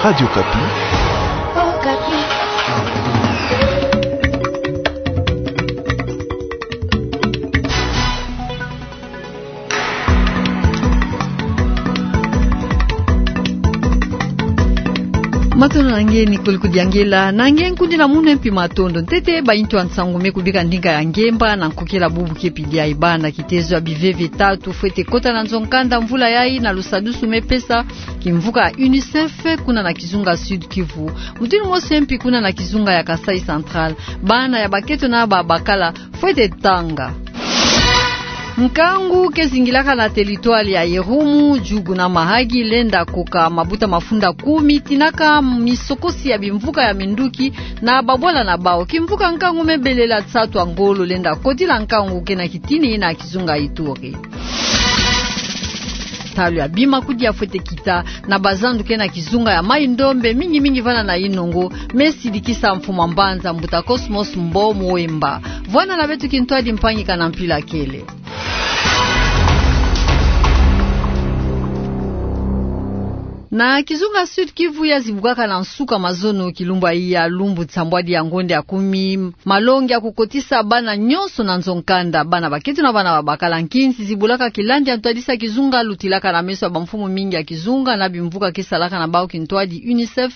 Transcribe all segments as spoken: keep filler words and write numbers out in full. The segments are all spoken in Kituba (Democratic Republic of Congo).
Radio Okapi. Matondo na nge, Nicole Kudiangela. Na nge nkundi na munu mpi matondo. Ntete baintu ya nsangu me kubika ndinga ya ngemba na nkokela bubu ke pidi ya ibana. Kitezo ya biveve tatu fwete kota na nzo nkanda mvula yayi na lusadusu me pesa kimvuka ya UNICEF kuna na kizunga Sud-Kivu. Mutindu mosi mpi kuna na kizunga ya Kasaï Central, bana ya bakento na babakala fwete tanga. Nkangu ke zingilaka na territoire ya Irumu, Djugu na Mahagi lenda koka mabuta mafunda kumi, tinaka misokosi ya bimvuka ya minduki na babwala na bawu. Kimvuka nkangu me belela nsatu ya ngolo lenda kotila nkangu ke na kitini na kizunga Ituri. Ntalu ya bima kudia fwete kita na bazandu ke na kizunga ya Maï-Ndombe, mingi mingi vana na Inongo, me sidikisa mfumu a mbanza mbuta Cosmos Mbo Muwemba. Vwanda na beto kintwadi, mpangi-a mpila kele. Na kizunga Sud-Kivu ya zibukaka na nsuka mazono kilumbu ya lumbu nsambwadi ya ngonde ya kumi, malongi ya kukotisa bana nyonso na nzo nkanda, bana bakento na bana babakala, nkinzi zibulaka kilandi ya ntwadisi ya kizunga lutilaka na meso ya bamfumu mingi ya kizunga na bimvuka ke salaka na bawu kintwadi UNICEF,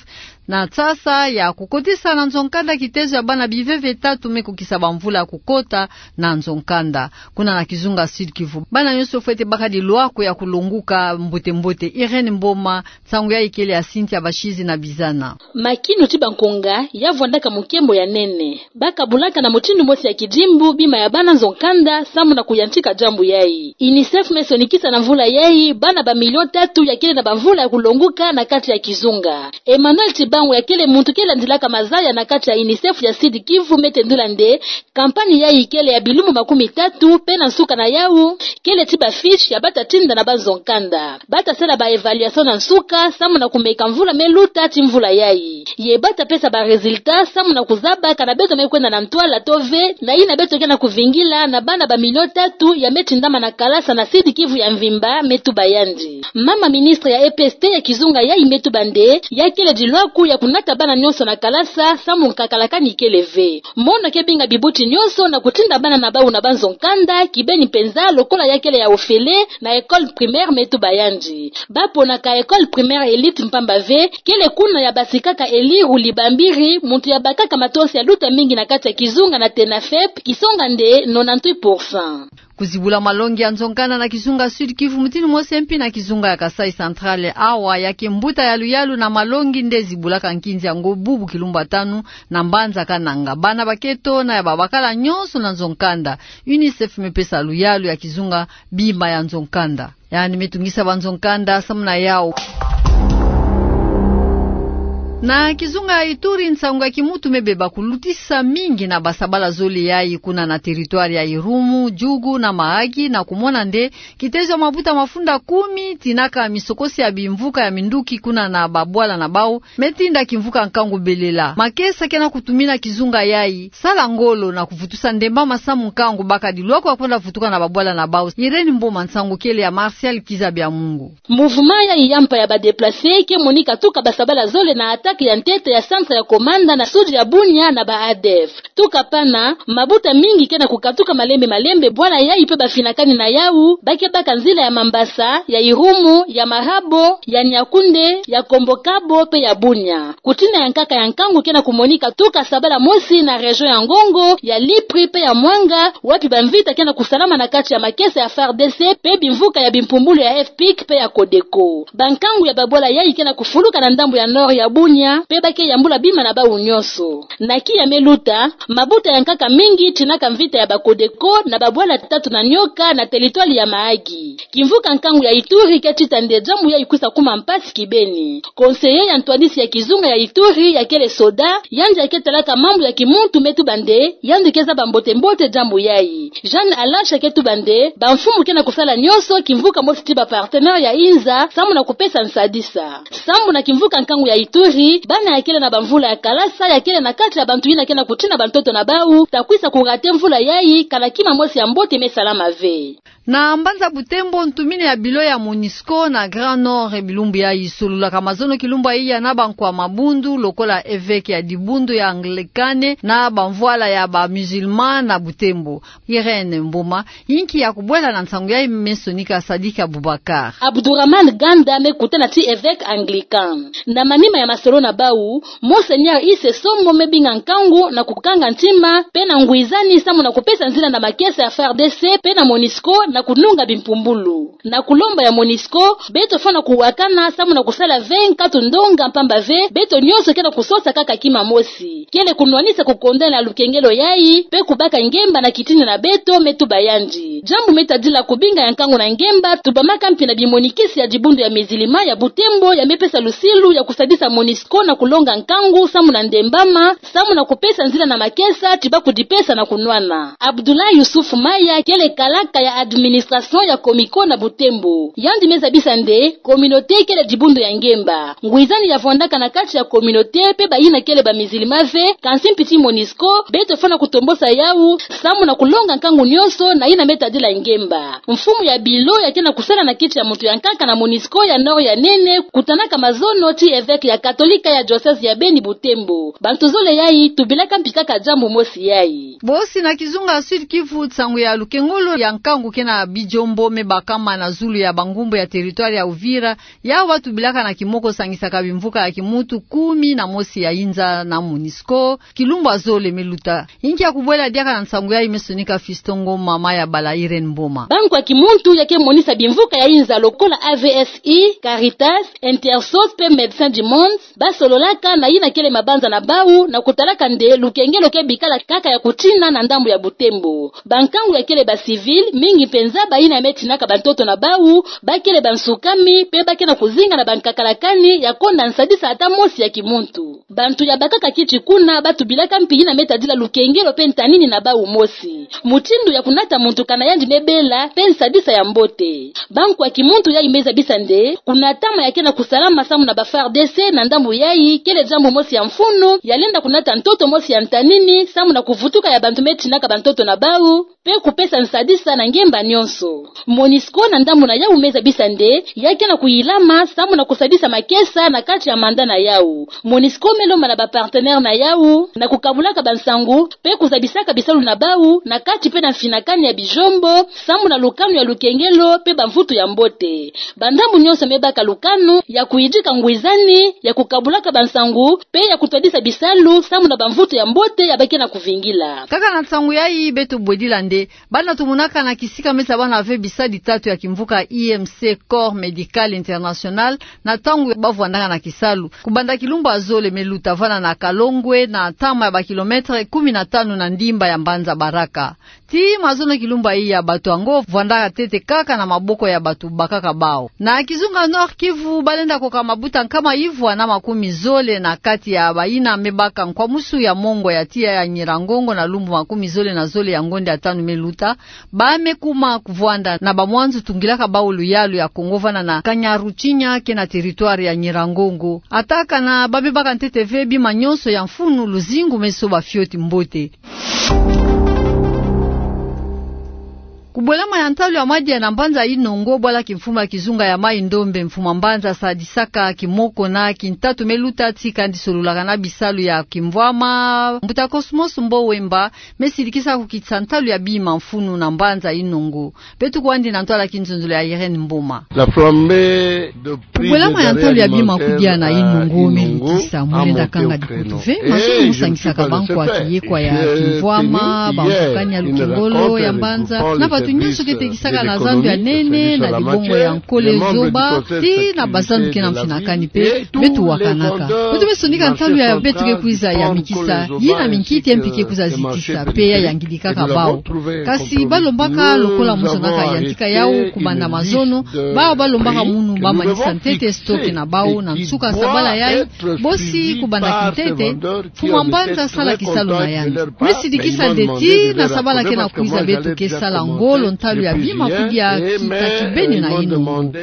na nsasa ya kukotisa na nzo nkanda kitezo ya bana biveve tatu me kukisa bamvula ya kukota na nzo nkanda. Kuna na kizunga Sud-Kivu, bana nyonso fwete baka dilwako ya kulonguka mbote mbote. Irène Mboma, nsangu yayi kele ya Cynthia Bashizi na Bizana. Makinu ti bankonga ya vwandaka mukembo ya nene. Baka bulaka na mutindu mosi ya kidimbu bima ya bana nzo nkanda samu na kuyantika diambu yayi. UNICEF me sonikisa na mvula yayi bana ba million tatu ya kele na bamvula ya kulonguka na kati ya kizunga. Emmanuel Tibangu ya kele muntu ke landilaka mazaya na kati ya UNICEF ya Sud-Kivu me tendula nde campagne yayi kele ya bilumbu makumi tatu, pe na nsuka na yawu, kele ti ba fiche ya bata tinda na banzo nkanda. Bata sala ba évaluation na nsuka, samu na kumeka mvula me luta ti mvula yayi. Ye bata pesa ba résultat, samu na kuzaba kana beto me kwenda na ntwala to ve, na yina beto ke na kuvingila na bana ba million tatu ya me tindama na kalasa na Sud-Kivu ya mvimba, me tuba yandi. Mama ministre ya EPST ya kizunga yayi me tuba nde, ya kele dilwako ya kunata bana nyonso na kalasa, samu nkakalakani kele ve. Mono ke binga bibuti nyonso na kutinda bana na bawu na banzo nkanda, kibeni mpenza lokola ya kele ya ofele na école primaire, me tuba yandi. Ba ponaka école primaire Elite mpamba ve, kele kuna ya basikaka Eli Ruli Bambiri, muntu ya bakaka matosi ya luta mingi na kati ya kizunga na TENAFEP, kisonga nde nonante-huit pour cent. Kuzibula malongi ya nzo nkanda na kizunga Sud-Kivu mutindu mosi mpi na kizunga ya Kasaï Central, awa ya ke mbuta ya luyalu na malongi nde zibulaka nkinzi yango bubu kilumbu ya tanu na mbanza Kananga. Bana bakento na ya babakala nyonso na nzo nkanda. UNICEF me pesa luyalu ya kizunga bima ya nzo nkanda. Yandi me tungisa banzo nkanda samu na yawu. Na kizunga ya Ituri, nsangu ya kimuntu me beba kulutisa mingi na basabala zole yayi kuna na territoire ya Irumu, Djugu na Mahagi, na kumona nde kitezo ya mabuta mafunda kumi tinaka misokosi ya bimvuka ya minduki kuna na babwala na bawu, me tinda kimvuka nkangu belela. Makesa ke na kutumina kizunga yayi sala ngolo na kuvutusa ndemba masamu nkangu baka dilwako ya kwenda vutuka na babwala na bawu. Irène Mboma, nsangu kele ya Martial Kiza Bya Mungu. Mouvement yayi ya mpa ya ba déplacés ke monika tuka basabala zole na attaque ya ntete ya centre ya commandant na sud ya Bunia na ba ADF. Tuka pana, mabuta mingi ke na kukatuka malembe malembe, bwala yayi pe bafinakani na yawu, ba ke baka nzila ya Mambasa, ya Irumu, ya Marabo, ya Niakoundé, ya Kombokabo pe ya Bunia. Kutina ya nkaka ya nkangu ke na kumonika tuka sabala mosi na région ya Ngongo, ya Lipri pe ya Mwanga, wapi bamvita ke na kusalama na kati ya makesa ya FARDC pe bimvuka ya bimpumbulu ya FPIC pe ya CODECO. Bankangu ya babwala yayi ke na kufuluka na ndambu ya nord ya Bunia, pe ba ke yambula bima na bawu nyonso. Na kiya me luta, mabuta ya nkaka mingi tinaka mvita ya ba CODECO na babwala tatu na nioka na territoire ya Mahagi. Kimvuka nkangu ya Ituri ke tita nde diambu yayi kwisa kuma mpasi kibeni. Conseiller ya ntwadisi ya kizunga ya Ituri ya kele soda, yandi ya ke talaka mambu ya kimuntu me tuba nde yandi ke zaba mbote mbote diambu yayi. Jeanne Alasha ke tuba nde bamfumu ke na kusala nyonso kimvuka mosi ti ba partenaires ya inza samu na kupesa nsadisa. Sambu na kimvuka nkangu ya Ituri, bana ya kele na bamvula ya kalasa ya kele na kati ya bantu yina ke na kutina bantoto na bau, ta kwisa kurate mvula yayi, kana kima mosi ya mbote me salama ve. Na mbanza Butembo, ntumine ya bilo ya MONUSCO na Grand Nord, e bilumbu yayi sololaka mazono kilumbu ya iya na bankwa mabundu, lokola evêque ya dibundu ya Anglicane na bamvwala ya ba musulman na Butembo. Irène Mboma, inki ya kubwela na nsangu yayi me sonika Sadiki Abubakar. Abdourahmane Ganda me kutana ti evêque anglican. Na manima ya masolo na bau, Monseigneur Ise Somo me binga nkangu na kukanga ntima, pe na ngwizani samu na kupesa nzila na makesa ya F A R D C, pe na MONUSCO na kununga bimpumbulu. Na kulomba ya MONUSCO, beto fwana kuwakana samu na kusala ve nkatu ndonga mpamba ve, beto nyonso ke na kusosa kaka kima mosi. Kele kunwanisa kukondana ya lukengelo yayi, pe kubaka ngemba na kitini na beto, me tuba yandi. Diambu me tadila kubinga ya nkangu na ngemba, tubamaka mpi na bimonikisi ya dibundu ya musulman ya Butembo, ya me pesa lusilu ya kusadisa MONUSCO na kulonga nkangu samu na ndembama, samu na kupesa nzila na makesa ti ba kudipesa na kunwana. Abdoulaye Youssouf Maya kele kalaka ya administration ya Comico na Butembo. Yandi me zabisa nde, communauté kele dibundu ya ngemba. Ngwizani ya vwandaka na kati ya communauté pe bayina kele ba musulman ve, kansi mpi ti MONUSCO, beto fwana kutombosa yau, samu na kulonga nkangu nyonso na yina me tadila ngemba. Mfumu ya bilo ya ke na kusala na kiti ya muntu ya nkaka na MONUSCO ya Nord ya nene, kutanaka mazono ti evêque ya Katolika ya diocèse ya Beni Butembo. Bantu zole yayi, tubilaka mpi kaka diambu mosi yayi. Bosi na kizunga Sud-Kivu, nsangu ya lukengolo ya nkangu ke na bijombo me bakama na zulu ya bangumbu ya territoire ya Uvira, yau ba tubilaka na kimoko sangisaka bimvuka ya kimuntu kumi na mosi ya yinza na MONUSCO, kilumbu ya zole me luta. Inki ya kubwela diaka na nsangu yayi me sonika Fiston Ngoma, mama ya bala Irène Mboma. Bankwa kimuntu ya ke monisa bimvuka ya yinza lokola A V S I, Caritas, Intersos pe Médecins du Monde, ba sololaka na yina kele mabanza na bau, na kutalaka nde lukengelo ke bikala kaka ya kutina na ndambu ya Butembo. Bankangu ya kele ba civil, mingi mpenza bayina ya me tinaka bantoto na bau, ba kele bansukami, pe ba ke na kuzinga na bankakalakani ya konda nsadisa ata mosi ya kimuntu. Bantu ya bakaka kiti kuna, ba tubilaka mpi yina me tadila lukengelo pe ntanini na bau mosi. Mutindu ya kunata muntu kana yandi me bela, pe nsadisa ya mbote. Bankwa kimuntu yayi me zabisa nde, kunatama ya ke na kusalama samu na ba F A R D C na ndambu yayi, kele diambu mosi ya mfunu, ya lenda kunata ntoto mosi ya ntanini, samu na kuvutuka ya bantu me tinaka bantoto na bau, pe kupesa nsadisa na ngemba nyonso. MONUSCO na ndambu na yau me zabisa nde, ya ke na kuyilama, samu na kusadisa makesa na kati ya mandat na yau. MONUSCO me lomba na ba partenaires na yau, na kukabulaka bansangu, pe kuzabisaka bisalu na bau, na kati pe na mfinakani ya bijombo, samu na lukanu ya lukengelo, pe bamvutu ya mbote. Bandambu nyonso me baka lukanu ya kuyidika ngwizani, ya kukabulaka bansangu, pe ya kutwadisa bisalu, samu na bamvutu ya mbote ya ba ke na kuvingila. Kaka na nsangu yayi beto bwedila nde, bana tumonaka na kisika me zabana ve bisadi tatu ya kimvuka I M C Corps Médical International, na ntangu ba vwandaka na kisalu. Kubanda kilumbu ya zole me luta vana na Kalongwe, na ntama ya ba kilomètres kumi na tanu na ndimba ya mbanza Baraka. Tii mazono kilumbu ya iya, bato yango vwandaka ntete kaka na maboko ya bato bakaka bau. Na kizunga Nord-Kivu, ba lenda koka mabuta nkama ivwa na makumi zole na kati ya bayina me baka nkwamusu ya mongo ya tiya ya Nyiragongo na lumbu makumi zole na zole ya ngonde ya tanu me luta, ba me kuma kuvwanda na bamwanzu tungilaka bau luyalu ya Kongo vana na Kanyaruchinya ke na territoire ya Nyiragongo. Ata kana ba me baka ntete ve bima nyonso ya mfunu, luzingu me soba fioti mbote. Kubwelama ya ntalu ya madia na mbanza Inongo, bwala kimfumu ya kizunga ya Mai-Ndombe, mfumu ya mbanza asadisaka kimoko na kintatu me luta ti kani sololaka na bisalu ya kimvwama, mbuta Cosmos Mbo Wemba, me sidikisa kukitisa ntalu ya bima mfunu na mbanza Inongo. Beto kwandi na ntwala kinzonzolo ya Irène Mboma. La flambée de prix des denrées alimentaires à Inongo me lutisa, mu lenda kanga dikutu ve mazono mu sangisaka bankwa kiyekwa ya kimvwama, bamfukani ya lukengolo ya mbanza, na bato nyonso ke tekisaka na zandu ya nene na dibongo ya nkole zoba, tii na bazandu ke na mfinakani pe, beto wakanaka. Beto me sonika ntalu ya beto ke kwiza yamikisa, yina minkiti ya mpi ke kwiza zitisa, pe ya yangidikaka bau. Kasi ba lombaka lokola mu zonzaka yantika yau kubanda mazono, bau ba lombaka munu ba manisa ntete stock na bau na nsuka sabala yayi, bosi kubanda kintete, mfumu ya mbanza sala kisalu na yandi. Me sidikisa nde tii na sabala ke na kwiza beto ke sala ngo, Kolo ntalu ya bima kudia kita kibeni na inongo.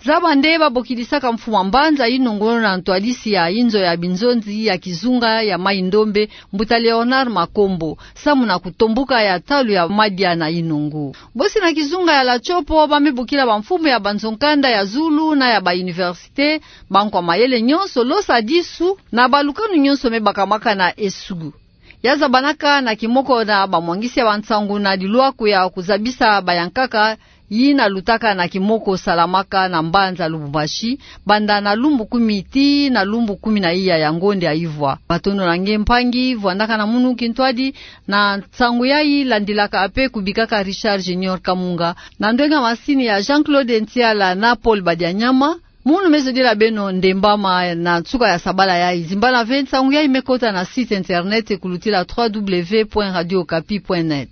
Zaba nde babokidisaka mfuma mbanza inongo na ntwadisi ya inzo ya binzonzi ya kizunga ya Mai-Ndombe, mbuta Léonard Makombo, samu na kutombuka ya ntalu ya madia na inongo. Bosi na kizunga ya Latchopo bamibukila bamfumu ya banzo-nkanda ya zulu na ya ba université, bankwa mayele nyonso, losa disu na balukanu nyonso me bakamaka na esugu. Ya zabanaka na kimoko na bamwangisi ya bansangu na dilwaku ya kuzabisa bayankaka, yina lutaka na kimoko salamaka na mbanza Lubumbashi, banda na lumbu kumi tii na lumbu kumi na iya ya ngonde ya ivwa. Matondo na nge mpangi, vwandaka na munu kintwadi, na nsangu yayi landilaka mpe kubikaka Richard Junior Kamunga, na ndwenga masini ya Jean-Claude Ntiala na Paul Badianyama. Munu me zodila beno ndembama na nsuka ya sabala yayi. Zimbana ve nsangu yayi me kota na site internet kulutila trois W point radio okapi point net.